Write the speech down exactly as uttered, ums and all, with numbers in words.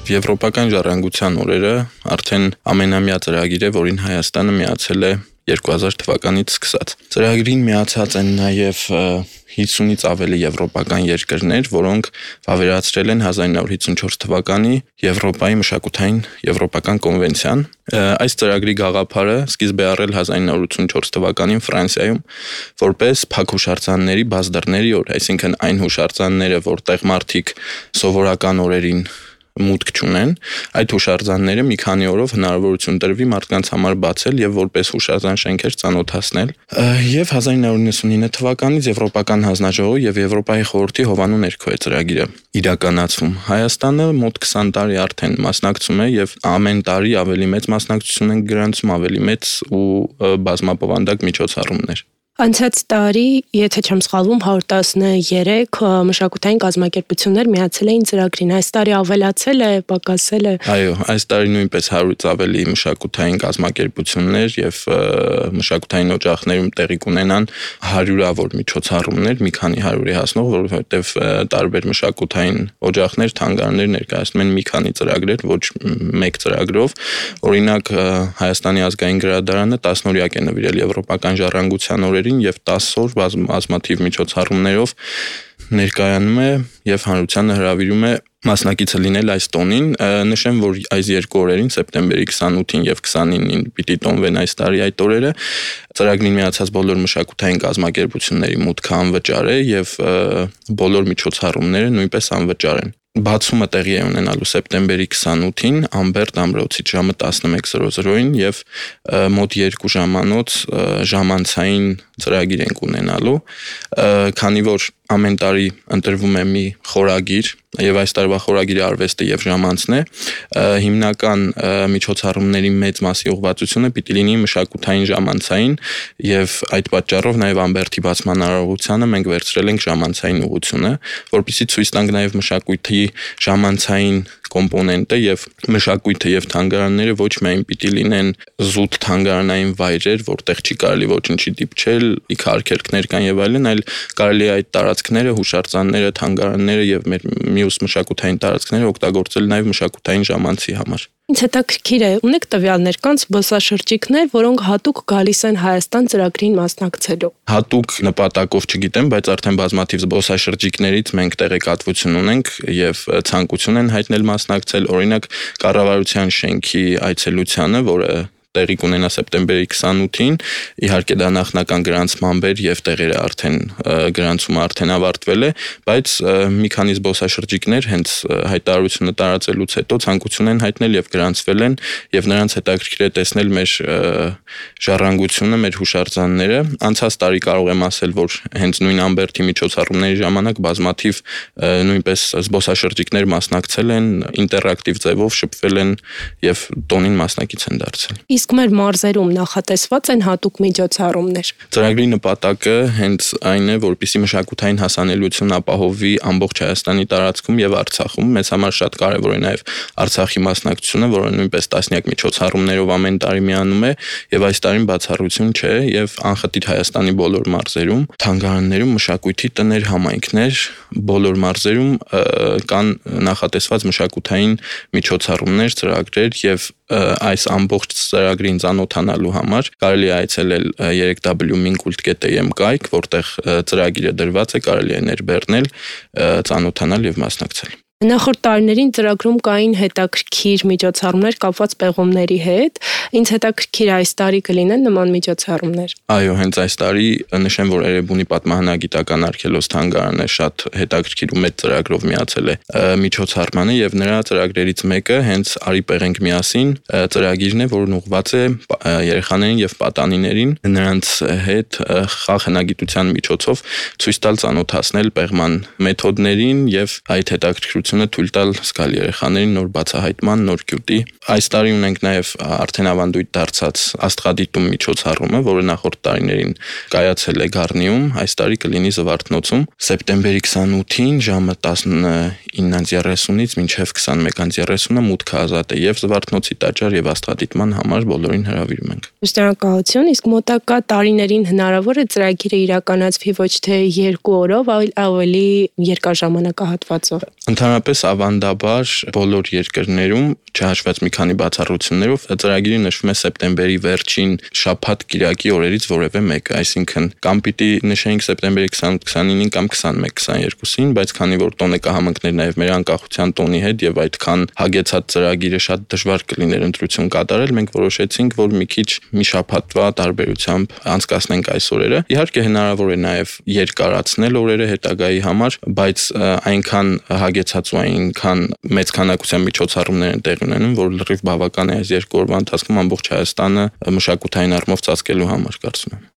Եվրոպական ժառանգության օրերը արդեն ամենամյա ծրագիր է, որին Հայաստանը միացել է երկու հազար թվականից սկսած։ Ծրագրին միացած են նաև հիսունից ավելի եվրոպական երկրներ, որոնք վավերացրել են հազար ինը հարյուր հիսունչորս թվականի Եվրոպայի մշակութային եվրոպական կոնվենցիան։ Այս ծրագրի գաղափարը սկիզբ է առել հազար ինը հարյուր ութսունչորս թվականին Ֆրանսիայում որպես փակ հուշարձանների բացդռների օր, այսինքն այն հուշարձանները, որտեղ մարդիկ սովորական օրերին մուտք չունեն, այդ հուշարձանները մի քանի օրով հնարավորություն տրվի մարդկանց համար բացել եւ որպես հուշարձան շենքեր ծանոթացնել։ Եվ հազար ինը հարյուր նվաթ թվականից Եվրոպական հանձնաժողովի եւ Եվրոպայի խորհրդի հովանու ներքո է ծրագիրը իրականացվում։ Հայաստանը մոտ քսան տարի արդեն մասնակցում է եւ ամեն տարի ավելի մեծ մասնակցություն են գրանցում, ավելի մեծ ու բազմապովանդակ միջոցառումներ։ Անցած տարի, եթե չեմ սխալվում, հարյուր տասներեք մշակութային կազմակերպություններ միացել էին ծրագրին։ Այս տարի ավելացել է, պակասել է։ Այո, այս տարի նույնպես հարյուրից ավելի մշակութային կազմակերպություններ եւ մշակութային օջախներում տեղի կունենան հարյուրավոր միջոցառումներ, մի քանի հարյուրի հասնող, որովհետեւ տարբեր մշակութային օջախներ, թանգարաններ ներկայացնում են մի քանի ծրագրեր, ոչ մեկ ծրագրով։ Օրինակ, Հայաստանի ազգային գրադարանը տասնօրյակ է նվիրել եվրոպական ժառանգության օրերին եւ տասը օր բազմաթիվ միջոցառումներով ներկայանում է եւ հանրությանը հրավիրում է մասնակիցը լինել այս տոնին։ Նշեմ, որ այս երկու օրերին, սեպտեմբերի քսանութին եւ քսանինին պիտի տոնվեն այս տարի այդ օրերը։ Ծրագրին միացած բոլոր մշակութային կազմակերպությունների մուտքը անվճար է եւ բոլոր միջոցառումները նույնպես անվճար են։ Բացումը տեղի է ունենալու սեպտեմբերի քսանութին Ամբերտ ամրոցից ժամը տասնմեկ եւ մոտ երկու ժամանոց ժամանցային ծրագիր ենք ունենալու, քանի որ ամեն տարի ընտրվում է մի խորագիր եւ այս տարվա խորագիրը արվեստը եւ ժամանցն է, հիմնական միջոցառումների մեծ մասի ուղղվածությունը պիտի լինի մշակութային ժամանցային եւ այդ պատճառով նաեւ Ամբերտի բացման արարողությանը մենք վերցրել ենք ժամանցային ուղղությունը, որպեսզի ցույց տանք նաեւ մշակույթի ժամանցային կոմպոնենտը եւ մշակույթը եւ թանգարանները ոչ միայն պիտի լինեն զուտ թանգարանային վայրեր, որտեղ չի կարելի ոչինչի դիպչել, իքարքերքներ կան եւ այլն, այլ կարելի է այդ տարածքները, հուշարձանները, թանգարանները եւ մեր մյուս մշակութային տարածքները օգտագործել նաեւ մշակութային ժամանցի համար։ Ինձ հետաքրքիր է, ունեք տվյալներ, կան զբոսաշրջիկներ, որոնք հատուկ գալիս են Հայաստան ծրագրին մասնակցելու։ Հատուկ նպատակով չգիտեմ, բայց արդեն բազմաթիվ զբոսաշրջիկներից մենք տեղեկատվություն ունենք եւ ցանկություն են հայտնել մասնակցել, օրինակ կառավարության շենքի այցելությանը, որը տեղի կունենա սեպտեմբերի քսանութին, իհարկե դա նախնական գրանցման բեր եւ տեղերը արդեն գրանցումը արդեն ավարտվել է, բայց մի քանի զբոսաշրջիկներ հենց հայտարարությունը տարածելուց հետո ցանկություն են հայտնել եւ գրանցվել են եւ նրանց հետաքրքիր է տեսնել մեր ժառանգությունը, մեր հուշարձանները։ Անցած տարի կարող եմ ասել, որ հենց նույն Ամբերտի միջոցառումների ժամանակ բազմաթիվ նույնպես զբոսաշրջիկներ մասնակցել են, ինտերակտիվ ձևով շփվել են եւ տոնին մասնակից են դարձել։ Իսկ մեր մարզերում նախատեսված են հատուկ միջոցառումներ։ Ծրագրի նպատակը հենց այն է, որպեսզի մշակութային հասանելիություն ապահովվի ամբողջ Հայաստանի տարածքում եւ Արցախում։ Մեզ համար շատ կարեւոր է նաեւ Արցախի մասնակցությունը, որը նույնպես տասնյակ միջոցառումներով ամեն տարի միանում է եւ այս տարին բացառություն չէ եւ անխտիր Հայաստանի բոլոր մարզերում, թանգարաններում, մշակույթի տներ, համայնքներ, բոլոր մարզերում կան նախատեսված մշակութային միջոցառումներ, ծրագրեր եւ այս ամբողջ ծրագրին ծանոթանալու համար կարելի է այցելել երեք դաբլյու մինկուլտ կետ էյ էմ կայք, որտեղ ծրագիրը դրված է, կարելի է ներբեռնել, ծանոթանալ եւ մասնակցել։ Նախորդ տարիներին ծրագրում կային հետաքրքիր միջոցառումներ կապված պեղումների հետ։ Ինձ հետաքրքիր այս տարի կլինեն նման միջոցառումներ։ Այո, հենց այս տարի նշեմ, որ Էրեբունի պատմահնագիտական արգելոց թանգարանը շատ հետաքրքիր ու մեծ ծրագրով միացել է միջոցառմանը եւ նրա ծրագրերից մեկը հենց Արի պեղենք միասին ծրագիրն է, որն ուղղված է երեխաներին եւ պատանիներին նրանց հետ խաղ հնագիտության միջոցով ցույց տալ, ծանոթացնել պեղման մեթոդներին եւ այդ հետաքրքրությունը թույլ տալ զգալ երեխաներին նոր բացահայտման, նոր գյուտի։ Այս տարի ունենք նաեւ արդեն ավանդույթ դարձած աստղադիտում միջոցառումը, որը նախորդ տարիներին կայացել է Գառնիում, այս տարի կլինի Զվարթնոցում սեպտեմբերի քսանութին ժամը տասնինը երեսունից մինչև քսանմեկ երեսունը մուտքը ազատ է եւ Զվարթնոցի տաճար եւ աստղադիտման համար բոլորին հրավիրում ենք։ Շնորհակալություն, իսկ մոտակա տարիներին հնարավոր է ծրագիրը իրականացվի ոչ թե երկու օրով, այլ ավելի երկար ժամանակահատվածով։ Ընդհանրապես Ընդհանրապես ավանդաբար բոլոր երկրներում, չհաշված մի քանի բացառություններով, ծրագիրը նշվում է սեպտեմբերի վերջին շաբաթ-կիրակի օրերից որևէ մեկը, այսինքն կամ պիտի նշենք սեպտեմբերի քսանութ քսանինին կամ քսանմեկ քսաներկուսին, բայց քանի որ տոնը կհամընկներ նաև մեր անկախության տոնի հետ եւ այդքան հագեցած ծրագիրը շատ դժվար կլիներ ընտրություն կատարել, մենք որոշեցինք, որ մի քիչ մի շաբաթվա տարբերությամբ անցկացնենք այս օրերը։ Իհարկե հնարավոր է նաև երկարացնել օրերը հետագայի համար, բայց այնքան հագեցած ու այնքան մեծ քանակության միջոցառումներ են տեղի ունենում, որ լրիվ բավական է այս երկու օրվա ընթացքում ամբողջ Հայաստանը մշակութային առումով ծածկելու համար, կարծում եմ։